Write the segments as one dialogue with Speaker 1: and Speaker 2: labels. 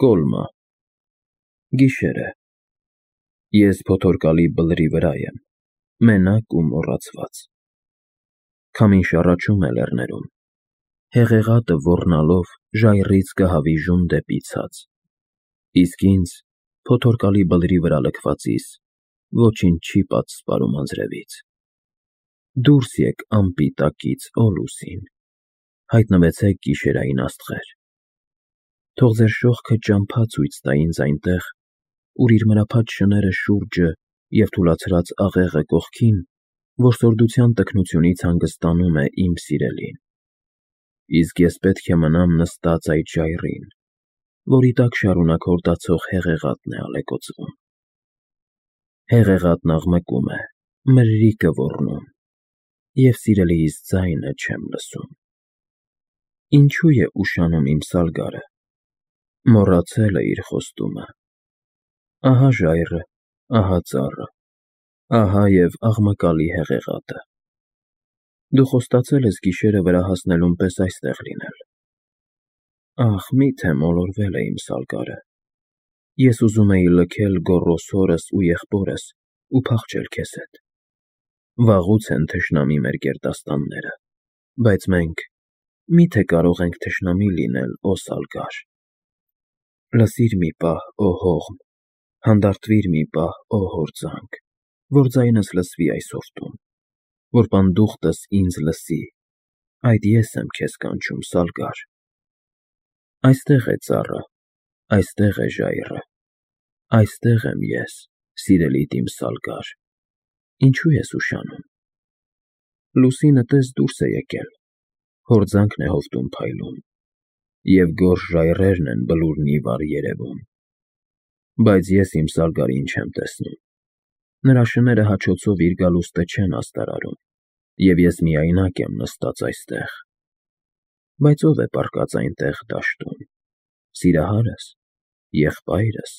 Speaker 1: Կոլմա։ Գիշեր է։ Ես փոթորկալի բլրի վրա եմ, մենակ ու մոռացված։ Քամին շառաչում է լեռներում, հեղեղատը ոռնալով ժայռից կհավիժում դեպի ցած, իսկ ինձ, փոթորկալի բլրի վրա լքվածիս, ոչինչ չի պատսպարում անձրևից։ Դուրս եկ ամպի տակից, օ լուսին, հայտնվեցեք գիշերային աստղեր։ Թող ձեր շողքը ճամփա ցույց տա ինձ այնտեղ, ուր իր մրափած շները շուրջը և թուլացրած աղեղը կողքին, որսորդության տքնությունից հանգստանում է իմ սիրելին։ Իսկ ես պետք է մնամ նստած այդ ժայռին, որի տակ շարունակ հորդացող հեղեղատն է ալեկոծվում։ Հեղեղատն աղմկում է, մրրիկը ոռնում, և սիրելիիս ձայնը չեմ լսում։ Ինչու է ուշանում իմ Սալգարը, մոռացել է իր խոստումը։ Ահա ժայռը, ահա ծառը, ահա և աղմկալի հեղեղատը։ Դու խոստացել ես գիշերը վրա հասնելուն պես այստեղ լինել։ Ախ, միթե մոլորվել է իմ Սալգարը։ Ես ուզում էի լքել գոռոզ հորս ու եղբորս ու փախչել քեզ հետ։ Վաղուց են թշնամի մեր գերդաստանները, բայց մենք միթե կարող ենք թշնամի լինել, օ Սալգար։ Լսիր մի պահ, օ հողմ, հանդարտվիր մի պահ, օ հորձանք, որ ձայնս լսվի այս հովտում, որ պանդուխտս ինձ լսի, այդ ես եմ քեզ կանչում, Սալգար։ Այստեղ է ծառը, այստեղ է ժայռը, այստեղ եմ ես, սիրելիդ իմ Սալգար։ Ինչու ես ուշանում։ Լուսինը տես դուրս է եկել, հորձանքն է հովտում փայլում, և գորշ ժայռերն են բլուրն ի վար երևում։ Բայց ես իմ Սալգարին չեմ տեսնում։ Նրա շները հաչոցով իր գալուստը չեն աստարարում, և ես միայնակ եմ նստած այստեղ։ Բայց ո՞վ է պառկած այնտեղ դաշտում։ Սիրահա՞ρս, եղբայրս։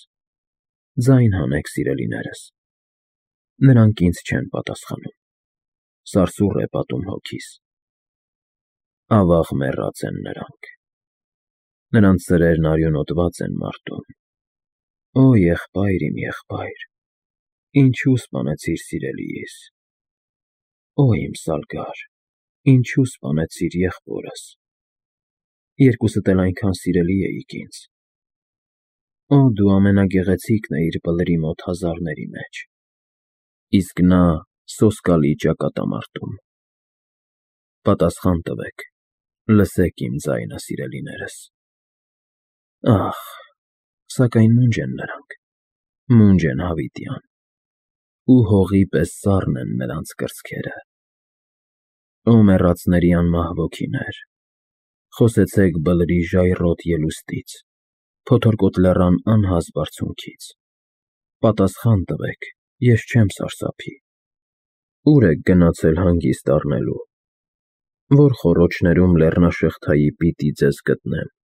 Speaker 1: Ձայն հանեք, սիրելիներս։ Նրանք ինձ չեն պատասխանում։ Սարսուռ է պատում հոգիս։ Ավաղ մեռած են նրանք։ Նրանց սրերն արյունոտված են մարտում։ Օ եղբայր իմ եղբայր, ինչու սպանեցիր սիրելիիս։ Օ իմ Սալգար, ինչու սպանեցիր եղբորս։ Երկուսդ էլ այնքան սիրելի էիք ինձ։ Օ դու ամենագեղեցիկն էիր բլրի մոտ հազարների մեջ։ Իսկ նա սոսկալի ճակատամարտում։ Պատասխան տվեք, լսեք իմ ձայնը, սիրելիներս։ Ախ, սակայն մունջ են նրանք, մունջ են հավիտյան, ու հողի պես սառն են նրանց կրծքերը։ Օ մեռածների անմահ ոգիներ, խոսեցեք բլրի ժայռոտ ելուստից, փոթորկոտ լեռան անհաս բարձունքից։ Պատասխան տվեք, ես չեմ սարսափի։ Ուր եք գնացել հանգիստ առնելու։ Որ խոռոչներում լեռնաշղթայի պիտի ձեզ գտնեմ։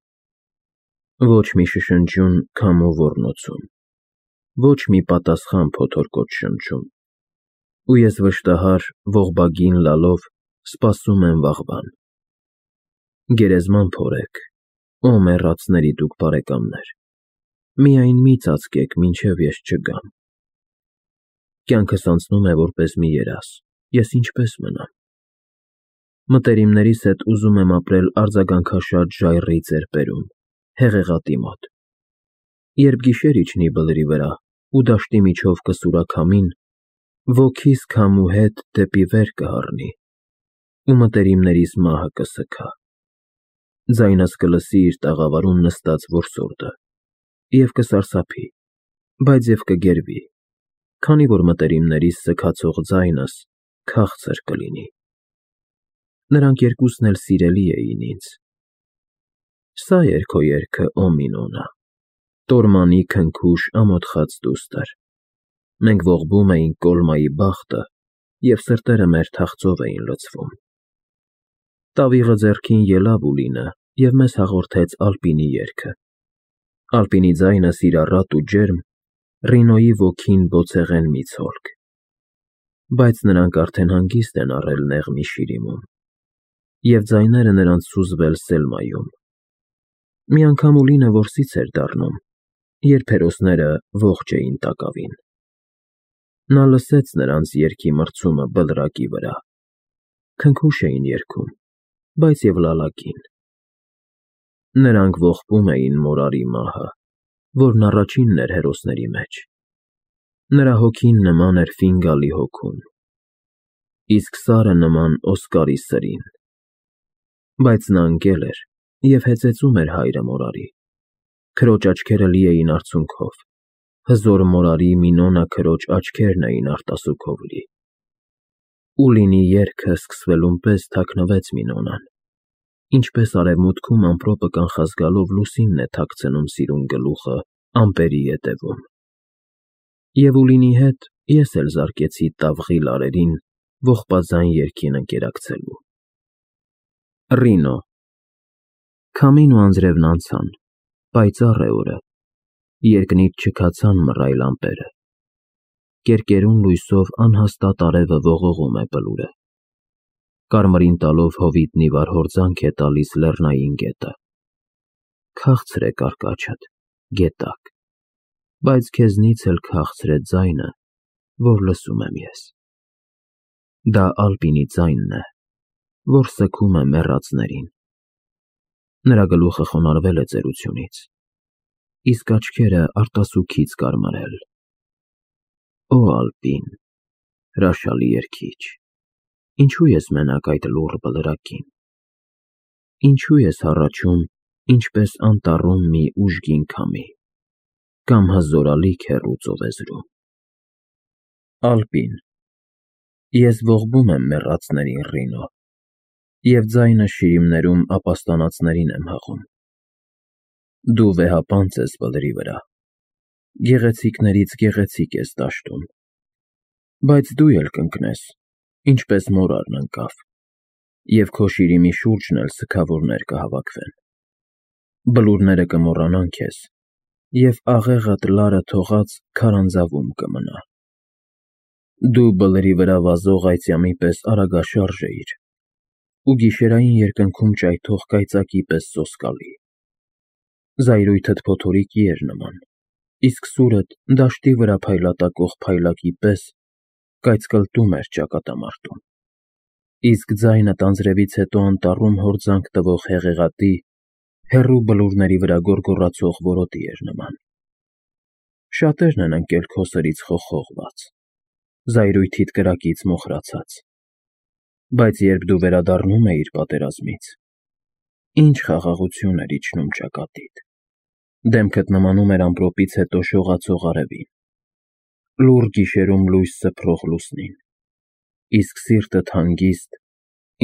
Speaker 1: Ոչ մի շշնջյուն քամու ոռնոցում, ոչ մի պատասխան փոթորկոտ շնչում։ Ու ես վշտահար ողբագին լալով սպասում եմ վաղվան։ Գերեզման փորեք, օ մեռածների դուք բարեկամներ, միայն մի ծածկեք, մինչև ես չգամ։ Կյանքս անցնում է որպես մի երազ, ես ինչպես մնամ։ Մտերիմներիս հետ ուզում եմ ապրել արձագանքաշատ ժայռի ծերպերում, հեղեղատի մոտ։ Երբ գիշեր իջնի բլրի վրա ու դաշտի միջով կսուրա քամին, ոգիս քամու հետ դեպի վեր կհառնի, ու մտերիմներիս մահը կսգա։ Ձայնս կլսի իր տաղավարում նստած որսորդը, և կսարսափի, բայց և կգերվի, քանի որ մտերիմներիս սգացող ձայնս քաղցր կլինի։ Նրանք երկուսն էլ սիրելի էին ինձ։ Սա էր քո երգը, օ Մինոնա, տորմանի քնքուշ ամոթխած դուստր։ Մենք ողբում էինք Կոլմայի բախտը, և սրտերը մեր թախծով էին լցվում։ Տավիղը ձեռքին ելավ Ուլինը և մեզ հաղորդեց Ալպինի երգը։ Ալպինի ձայնը սիրառատ ու ջերմ, Ռինոյի ոգին բոցեղեն մի ցոլք։ Բայց նրանք արդեն հանգիստ են առել Նեղմի շիրիմում, և ձայները նրանց սուզվել Սելմայում։ Մի անգամ Ուլինը որսից էր դառնում, երբ հերոսները ողջ էին տակավին։ Նա լսեց նրանց երգի մրցումը բլրակի վրա։ Քնքուշ էին երգում, բայց և լալակին։ Նրանք ողբում էին Մորարի մահը, որն առաջինն էր հերոսների մեջ։ Նրա հոգին նման էր Ֆինգալի հոգուն, իսկ սարը նման Օսկարի սրին։ Բայց նա ընկել էր և հեծեծում էր հայրը Մորարի։ Քրոջ աչքերը լի էին արցունքով, հզոր Մորարի Մինոնա քրոջ աչքերն էին արտասուքով լի։ Ուլինի երգը սկսվելուն պես թաքնվեց Մինոնան, ինչպես արևմուտքում ամպրոպը կանխազգալով լուսինն է թաքցնում սիրուն գլուխը ամպերի ետևում։ Եվ Ուլինի հետ ես էլ զարկեցի տավղի լարերին ողբաձայն երգին ընկերակցելու։ Ռինո։ Քամին ու անձրևն անցան, պայծառ է օրը, երկնից չքացան մռայլ ամպերը։ Կերկերուն լույսով անհաստատ արևը ողողում է բլուրը։ Կարմրին տալով հովիտն ի վար հորձանք է տալիս լեռնային գետը։ Քաղցր է կարկաչդ, գետակ, բայց քեզնից էլ քաղցր է ձայնը, որ լսում եմ ես։ Դա Ալպինի ձայնն է, որ սգում է մեռածներին։ Նրա գլուխը խոնարհվել է ծերությունից, իսկ աչքերը արտասուքից կարմրել։ Օ Ալպին, հրաշալի երգիչ, ինչու ես մենակ այդ լուռ բլրակին։ Ինչու ես հառաչում, ինչպես անտառում մի ուժգին քամի, կամ հզորալիք հեռու ծովեզրում։ Ալպին, ես ողբում եմ մեռածներին, Ռինո, և ձայնը շիրիմներում ապաստանածներին եմ հղում։ Դու վեհապանծ ես բլրի վրա, գեղեցիկներից գեղեցիկ ես դաշտում, բայց դու էլ կընկնես, ինչպես Մորարն ընկավ, և քո շիրիմի շուրջն էլ սգավորներ կհավաքվեն։ Բլուրները կմոռանան քեզ, և աղեղդ լարը թողած քարանձավում կմնա։ Դու բլրի վրա վազող այծյամի պես արագաշարժ էիր ու գիշերային երկնքում ճայթող կայծակի պես սոսկալի։ Զայրույթդ փոթորիկի էր նման, իսկ սուրդ դաշտի վրա փայլատակող փայլակի պես կայծկլտում էր ճակատամարտում, իսկ ձայնդ անձրևից հետո անտառում հորձանք տվող հեղեղատի, հեռու բլուրների վրա գոռգոռացող որոտի էր նման։ Շատերն են ընկել քո սրից խոխողված, զայրույթիդ կրակից մոխրացած, բայց երբ դու վերադառնում էիր պատերազմից, ինչ խաղաղություն էր իջնում ճակատիդ, դեմքդ նմանում էր ամպրոպից հետո շողացող արևին, լուռ գիշերում լույս սփռող լուսնին, իսկ սիրտդ հանգիստ,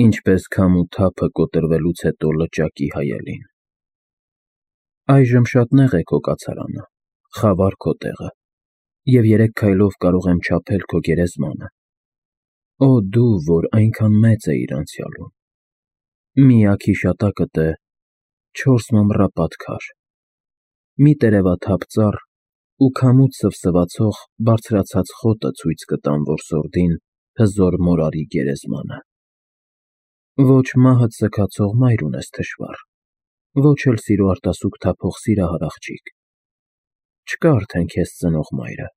Speaker 1: ինչպես քամու թափը կոտրվելուց հետո լճակի հայելին։ Այժմ շատ նեղ է քո կացարանը, խավար քո տեղը, և 3 քայլով կարող եմ չափել քո գերեզմանը։ Օ դու, որ այնքան մեծ էիր անցյալում։ Միակ հիշատակդ է 4 մամռապատ քար, մի տերևաթափ ծառ ու քամուց սվսվացող բարձրացած խոտը ցույց կտան որսորդին հզոր Մորարի գերեզմանը։ Ոչ մահդ սգացող մայր ունես թշվառ, ոչ էլ սիրո արտասուք թափող սիրահար աղջիկ։ Չկա արդեն քեզ ծնող մայրը,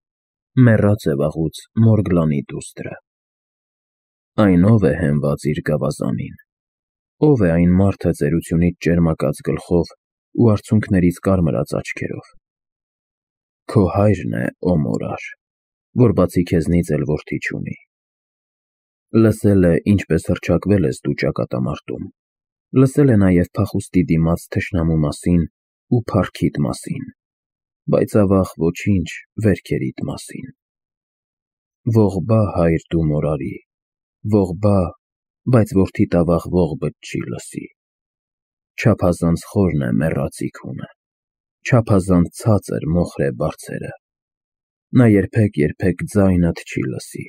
Speaker 1: մեռած է վաղուց Մորգլանի դուստրը։ Այն ով է հենված իր գավազանին, ով է այն մարդը ծերությունից ճերմակած գլխով ու արցունքներից կարմրած աչքերով։ Քո հայրն է, օ Մորար, որ բացի քեզնից էլ որդի չունի։ Լսել է, ինչպես հռչակվել ես դու ճակատամարտում, լսել է նաև փախուստի դիմաց թշնամու մասին ու փառքիդ մասին, բայց ավաղ ոչինչ վերքերիդ մասին։ Ողբա հայր դու Մորարի, ողբա, բայց որդիդ ավաղ ողբդ չի լսի։ Չափազանց խորն է մեռածի քունը, չափազանց ցածր մոխր է բարձերը։ Նա երբեք ձայնդ չի լսի,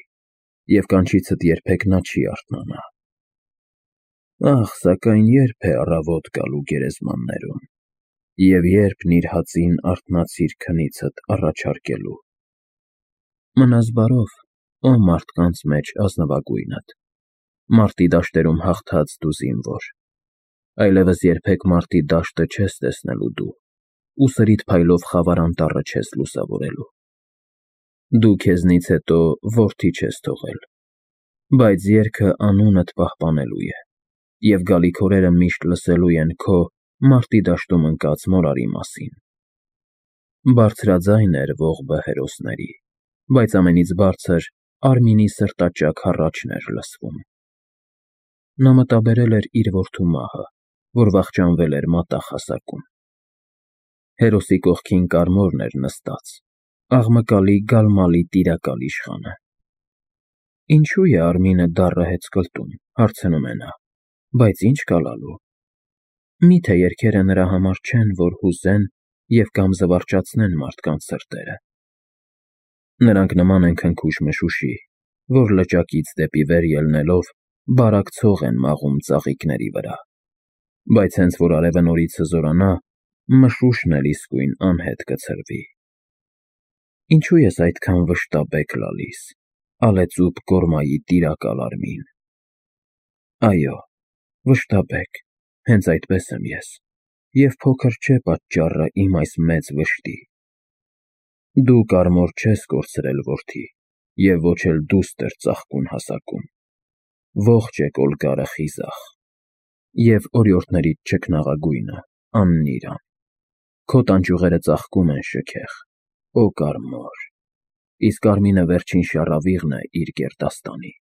Speaker 1: և կանչիցդ երբեք նա չի արթնանա։ Ահ, սակայն երբ է առավոտ գալու գերեզմաններում, և երբ նիրհածին արթնացիր քնիցդ առաջարկելու։ Մնաս բարով, օ մարդկանց մեջ ազնվագույնդ, մարտի դաշտերում հաղթած դու զինվոր, այլևս երբեք մարտի դաշտը չես տեսնելու դու, ու սրիտ փայլով խավար անտառը չես լուսավորելու։ Դու քեզնից հետո որդի չես թողել, բայց երգը անունդ պահպանելու է, և գալիք օրերը միշտ լսելու են քո մարտի դաշտում ընկած մորարի մասին։ Բարձրաձայն էր ողբը հերոսների, բայց ամենից բարձր Արմինի սրտաճաք հառաչն էր լսվում։ Նա մտաբերել էր իր որդու մահը, որ վախճանվել էր մատաղ հասակում։ Հերոսի կողքին Կարմորն էր նստած, աղմկալի գալմալի տիրակալ իշխանը։ Ինչու է Արմինը դառը հեծկլտում, հարցնում է նա, բայց ինչ կալալու։ Միթե երգերը նրա համար չեն, որ հուզեն և կամ զվարճացնեն մարդկանց սրտերը։ Նրանք նման են քնքուշ մշուշի, որ լճակից դեպի վեր ելնելով բարակ ցող են մաղում ծաղիկների վրա, բայց հենց որ արևը նորից հզորանա, մշուշն էլ իսկույն անհետ կցրվի։ Ինչու ես այդքան վշտաբեկ լալիս, ալեծուփ կորմայի տիրակալ Արմին։ Այո, վշտաբեկ, հենց այդպես եմ ես, և փոքր չէ պատճառը իմ այս մեծ վշտի։ Դու Կարմոր չես կորցրել, որդի, և ոչ էլ դուստր ծաղկուն հասակում։ Ողջ է Կոլկարը խիզախ, և օրիորդներիդ չքնաղագույնը, աննիրան։ Քո տանջուղերը ծաղկում են շքեղ, օ Կարմոր, իսկ Արմինը վերջին շառավիղն է իր գերդաստանի։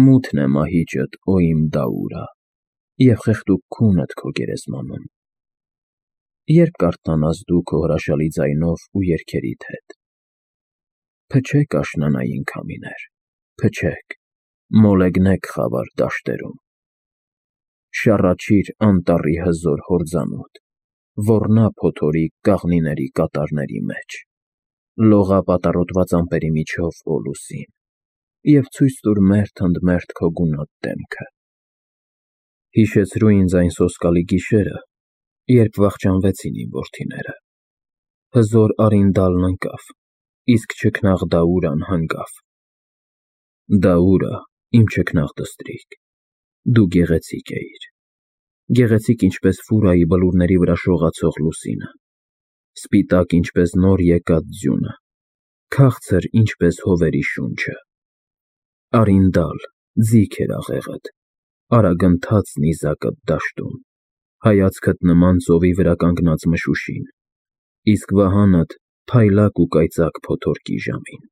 Speaker 1: Մութն է մահիճդ, օ իմ Դաուրա, և խեղդուկ քունդ քո գերեզմանում։ Երբ կարթնանաս դու քո հրաշալի ձայնով ու երգերիդ հետ։ Փչեք աշնանային քամիներ, փչեք, մոլեգնեք խավար դաշտերում։ Շառաչիր անտառի հզոր հորձանուտ, ոռնա փոթորիկ կաղնիների կատարների մեջ, լողա պատառոտված ամպերի միջով, օ լուսին, և ցույց տուր մերթ ընդ մերթ քո գունատ դեմքը։ Հիշեցրու ինձ այն սոսկալի գիշերը, երբ վախճանվեցին իմ որդիները։ Հզոր Արինդալն ընկավ, իսկ չքնաղ Դաուրան հանգավ։ Դաուրա, իմ չքնաղ դստրիկ, դու գեղեցիկ էիր, գեղեցիկ ինչպես Ֆուրայի բլուրների վրա շողացող լուսինը, սպիտակ ինչպես նոր եկած ձյունը, քաղցր ինչպես հովերի շունչը։ Արինդալ, ձիգ էր աղեղդ, արագընթաց նիզակդ դաշտում, հայացքդ նման ծովի վրա կանգնած մշուշին, իսկ վահանդ փայլակ ու կայծակ փոթորկի ժամին։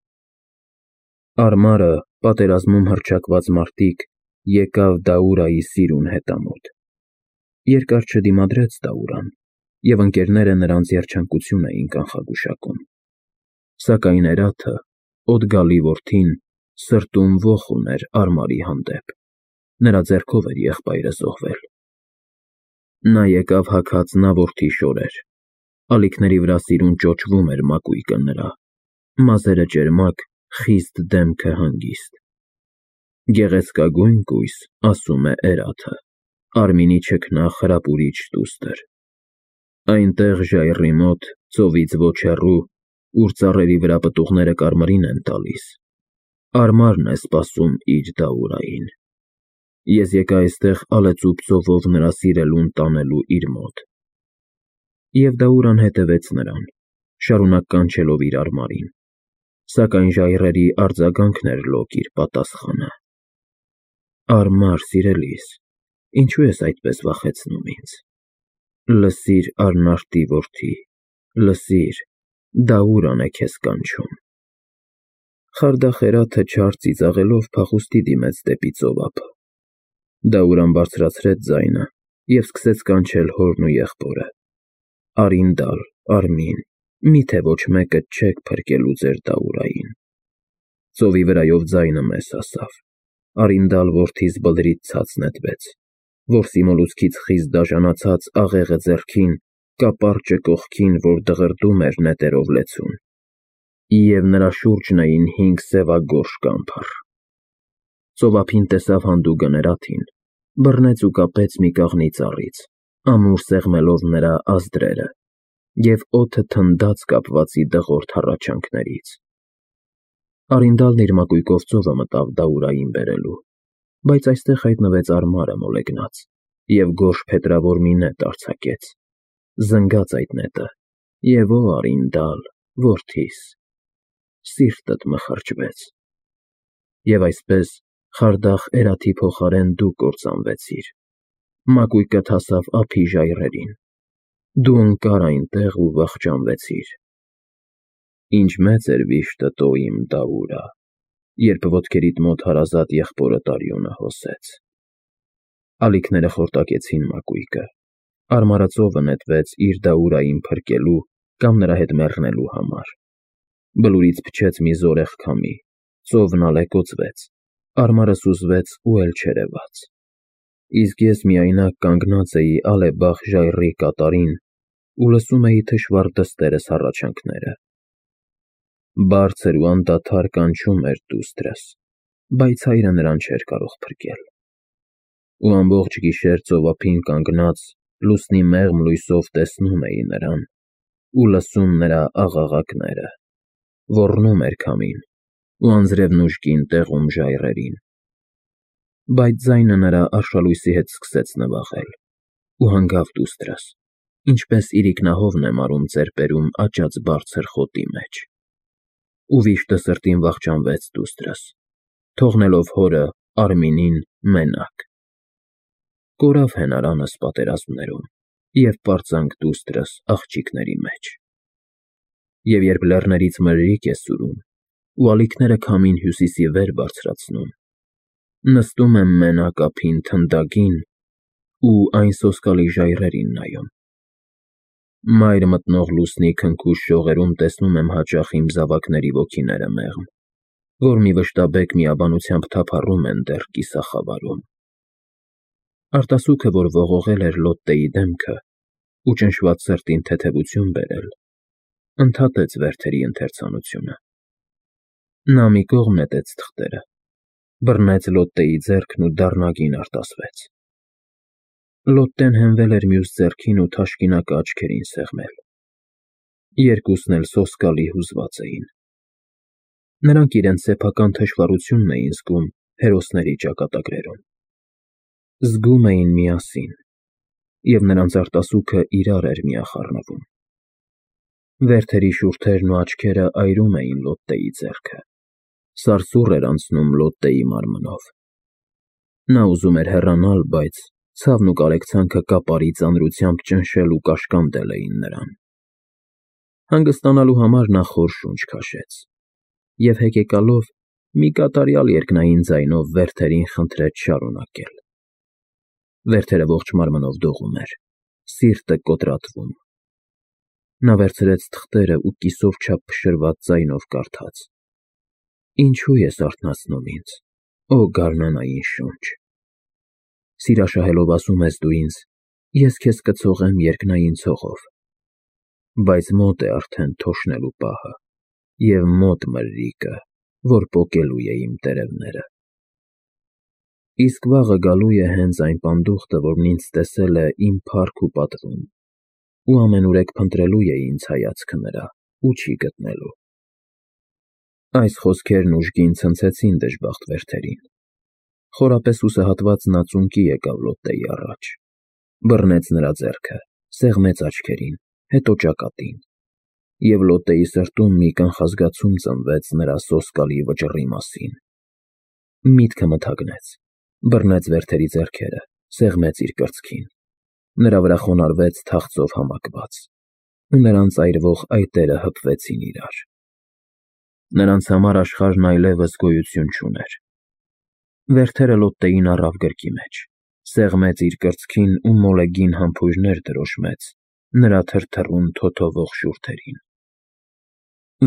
Speaker 1: Արմարը, պատերազմում հռչակված մարտիկ, եկավ Դաուրայի սիրուն հետամուտ։ Երկար չդիմադրեց Դաուրան, և ընկերները նրանց երջանկություն էին կանխագուշակում։ Սակայն Էրաթը, Օդգալի որդին, սրտում ոխ ուներ Արմարի հանդեպ, նրա ձեռքով էր եղբայրը զոհվել։ Նա եկավ հագած նավորդի շորեր, ալիքների վրա սիրուն ճոճվում էր մակույկը նրա, մազերը ճերմակ, խիստ դեմքը հանգիստ։ Գեղեցկագույն կույս, ասում է Էրաթը, Արմինի չքնաղ հրապուրիչ դուստր։ Այնտեղ ժայռի մոտ, ծովից ոչ հեռու, ուր ծառերի վրա պտուղները կարմիրին են տալիս, Արմարն է սպասում իր Դաուրային։ Ես եկա այստեղ ալեծուփ ծովով նրա սիրելուն տանելու իր մոտ։ Եվ Դաուրան հետևեց նրան, շարունակ կանչելով իր Արմարին, սակայն ժայռերի արձագանքն էր լոկ իր պատասխանը։ Արմար, սիրելիս, ինչու ես այդպես վախեցնում ինձ։ Լսիր, Արնարտի որդի, լսիր, Դաուրան է քեզ կանչում։ Խարդախ Էրաթը չար ծիծաղելով փախուստի դիմեց դեպի ծով ափը։ Դաուրան բարձրացրեց ձայնը և սկսեց կանչել հորն ու եղբորը։ Արինդալ, Արմին, միթե ոչ մեկը չեք փրկելու ձեր Դաուրային։ Ծովի վրայով ձայնը մեզ հասավ։ Արինդալ որդիս բլրից ցած նետվեց, որսի մոլուցքից խիստ դաժանացած աղեղը ձեռքին, կապարճը կողքին, որ դղրդում էր նետերով լեցուն, և նրա շուրջն էին 5 սևագորշ կամփառ։ Ծովափին տեսավ հանդուգն Էրաթին, բռնեց ու կապեց մի կաղնի ծառից, ամուր սեղմելով նրա ազդրերը, և օդը թնդաց կապվածի դղրդյա հառաչանքներից։ Արինդալն իր մակույկով ծովը մտավ Դաուրային բերելու, բայց այստեղ հայտնվեց Արմարը մոլեգնած և գորշ փետրավոր մի նետ արձակեց, Զնգաց այդ նետը, և ո Արինդալ, որդիս, սիրտդ մխրճվեց, և այսպես խարդախ էրաթի փոխարեն դու կործանվեցիր, մակույկդ հասավ ափի ժայռերին, դու ընկար այնտեղ ու վախճանվեցիր։ Ինչ մեծ էր վիշտդ, օ իմ Դաուրա, երբ ոտքերիդ մոտ հարազատ եղբորդ Արյունը հոսեց։ Ալիքները խորտակեցին մակույկը, արմարածովը նետվեց իր Դաուրային փրկելու կամ նրա հետ մեռնելու համար, բլուրից փչեց մի զորեղ քամի, ծովն ալեկոծվեց, արմարը սուզվեց ու էլ չերևաց, իսկ ես միայնակ կանգնած էի ալեբախ ժայռի կատարին ու լսում էի թշվառ դստերս հառաչանքները։ Բարձր ու անդադար կանչում էր դուստրս, բայց հայրը նրան չէր կարող փրկել։ Ու ամբողջ գիշեր ծովափին կանգնած լուսնի մեղմ լույսով տեսնում էի նրան ու լսում նրա աղաղակները, ոռնում էր քամին ու անձրևն ուժգին տեղում ժայռերին, բայց ձայնը նրա արշալույսի հետ սկսեց նվաղել ու հանգավ դուստրս, ինչպես իրիկնահովն է մարում ծերպերում աճած բարձր խոտի մեջ, ու վիշտը սրտին վախճանվեց դուստրս, թողնելով հորը Արմինին մենակ։ Կորավ հենարանս պատերազմներում և պարծանք դուստրս աղջիկների մեջ։ Եվ երբ լեռներից մրրիկ է սուրում ու ալիքները քամին հյուսիսի վեր բարձրացնում, նստում եմ մենակ ափին թնդագին ու այն սոսկալի ժայռերին նայում։ Մայր մտնող լուսնի քնքուշ շողերում տեսնում եմ հաճախ իմ զավակների ոգիները մեղմ, որ մի վշտաբեկ միաբանությամբ թափառում են դեռ կիսախավարում։ Արտասուքը, որ ողողել էր Լոտտեի դեմքը ու ճնշված սրտին թեթևություն բերել, ընդհատեց Վերթերի ընթերցանությունը։ Նա մի կողմ նետեց թղթերը, բռնեց Լոտտեի ձեռքն ու դառնագին արտասվեց։ Լոտտեն հենվել էր մյուս ձեռքին ու թաշկինակը աչքերին սեղմել։ Երկուսն էլ սոսկալի հուզված էին։ Նրանք իրենց սեփական թշվառությունն էին զգում հերոսների ճակատագրերում։ Զգում էին միասին, և նրանց արտասուքը իրար էր միախառնվում։ Վերթերի շուրթերն ու աչքերը այրում էին Լոտտեի ձեռքը, սարսուռ էր անցնում Լոտտեի մարմնով։ Նա ուզում էր հեռանալ, բայց ցավն ու կարեկցանքը կապարի ծանրությամբ ճնշել ու կաշկանդել էին նրան։ Հանգստանալու համար նա խոր շունչ քաշեց և հեկեկալով մի կատարյալ երկնային ձայնով Վերթերին խնդրեց շարունակել։ Վերթերը ողջ մարմնով դողում էր, սիրտը կոտրատվում։ Նա վերցրեց թղթերը ու կիսով չափ փշրված ձայնով կարդաց. Ինչու ես արթնացնում ինձ, օ գարնանային շունչ։ Սիրաշահելով ասում ես դու ինձ, ես քեզ կցողեմ երկնային ցողով, բայց մոտ է արդեն թոշնելու պահը և մոտ մրրիկը, որ պոկելու է իմ տերևները։ Իսկ վաղը գալու է հենց այն պանդուխտը, որն ինձ տեսել է իմ փառք ու պատվում, ու ամենուրեք փնտրելու է ինձ հայացքը նրա ու չի գտնելու։ Այս խոսքերն ուժգին ցնցեցին դժբախտ Վերթերին։ Խորապես հուսահատված նա ծունկի եկավ Լոտտեի առաջ, բռնեց նրա ձեռքը, սեղմեց աչքերին, հետո ճակատին, և Լոտտեի սրտում մի կանխազգացում ծնվեց նրա սոսկալի վճռի մասին։ Միտքը մթագնեց, բռնեց Վերթերի ձեռքերը, սեղմեց իր կրծքին, նրա վրա խոնարհվեց թախծով համակված, ու նրանց այրվող այտերը հպվեցին իրար։ Նրանց համար աշխարհն այլևս գոյություն չուներ։ Վերթերը Լոտտեին առավ գրկի մեջ, սեղմեց իր կրծքին ու մոլեգին համբույրներ դրոշմեց նրա թրթռուն թոթովող շուրթերին։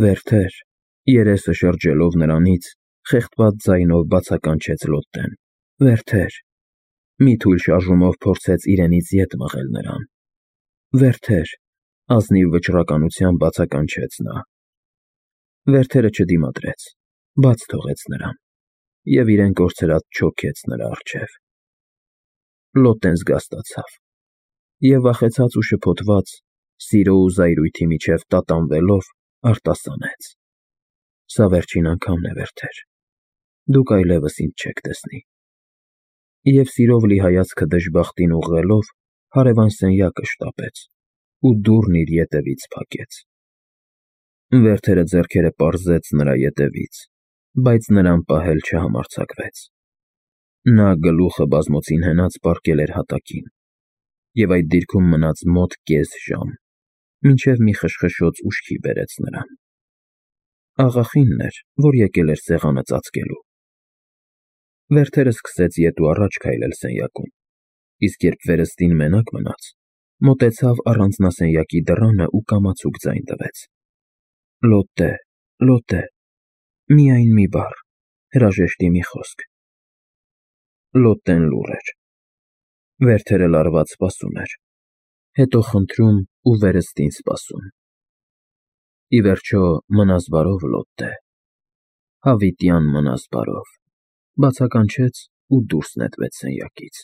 Speaker 1: Վերթեր, երեսը շրջելով նրանից, խեղդված ձայնով բացականչեց Լոտտեն։ Վերթեր, մի թույլ շարժումով փորձեց իրենից ետ մղել նրան։ Վերթեր, ազնիվ վճռականությամբ բացականչեց նա։ Վերթերը չդիմադրեց, բաց թողեց նրան և իրեն կորցրած չոքեց նրա առջև։ Լոտտեն զգաստացավ և վախեցած ու շփոթված, սիրո ու զայրույթի միջև տատանվելով, արտասանեց. Սա վերջին անգամն է, Վերթեր, դուք այլևս ինձ չեք տեսնի։ Եվ սիրով լի հայացքը դժբախտին ուղղելով, հարևան սենյակը շտապեց ու դուռն իր ետևից փակեց։ Վերթերը ձեռքերը պարզեց նրա ետևից, բայց նրան պահել չհամարձակվեց։ Նա գլուխը բազմոցին հենած պառկել էր հատակին, և այդ դիրքում մնաց մոտ կես ժամ, մինչև մի խշխշոց ուշքի բերեց նրան։ Աղախինն էր, որ եկել էր սեղանը ծածկելու։ Վերթերը սկսեց ետ ու առաջ քայլել սենյակում, իսկ երբ վերստին մենակ մնաց, մոտեցավ առանձնասենյակի դռանը ու կամացուկ ձայն տվեց. «Լոտտե, Լոտտե», միայն մի բառ, հրաժեշտի մի խոսք։ Լոտտեն լուռ էր։ Վերթերը լարված սպասում էր, հետո խնդրում ու վերստին սպասում։ Ի վերջո, մնաս բարով, Լոտտե, հավիտյան մնաս բարով, բացականչեց ու դուրս նետվեց սենյակից։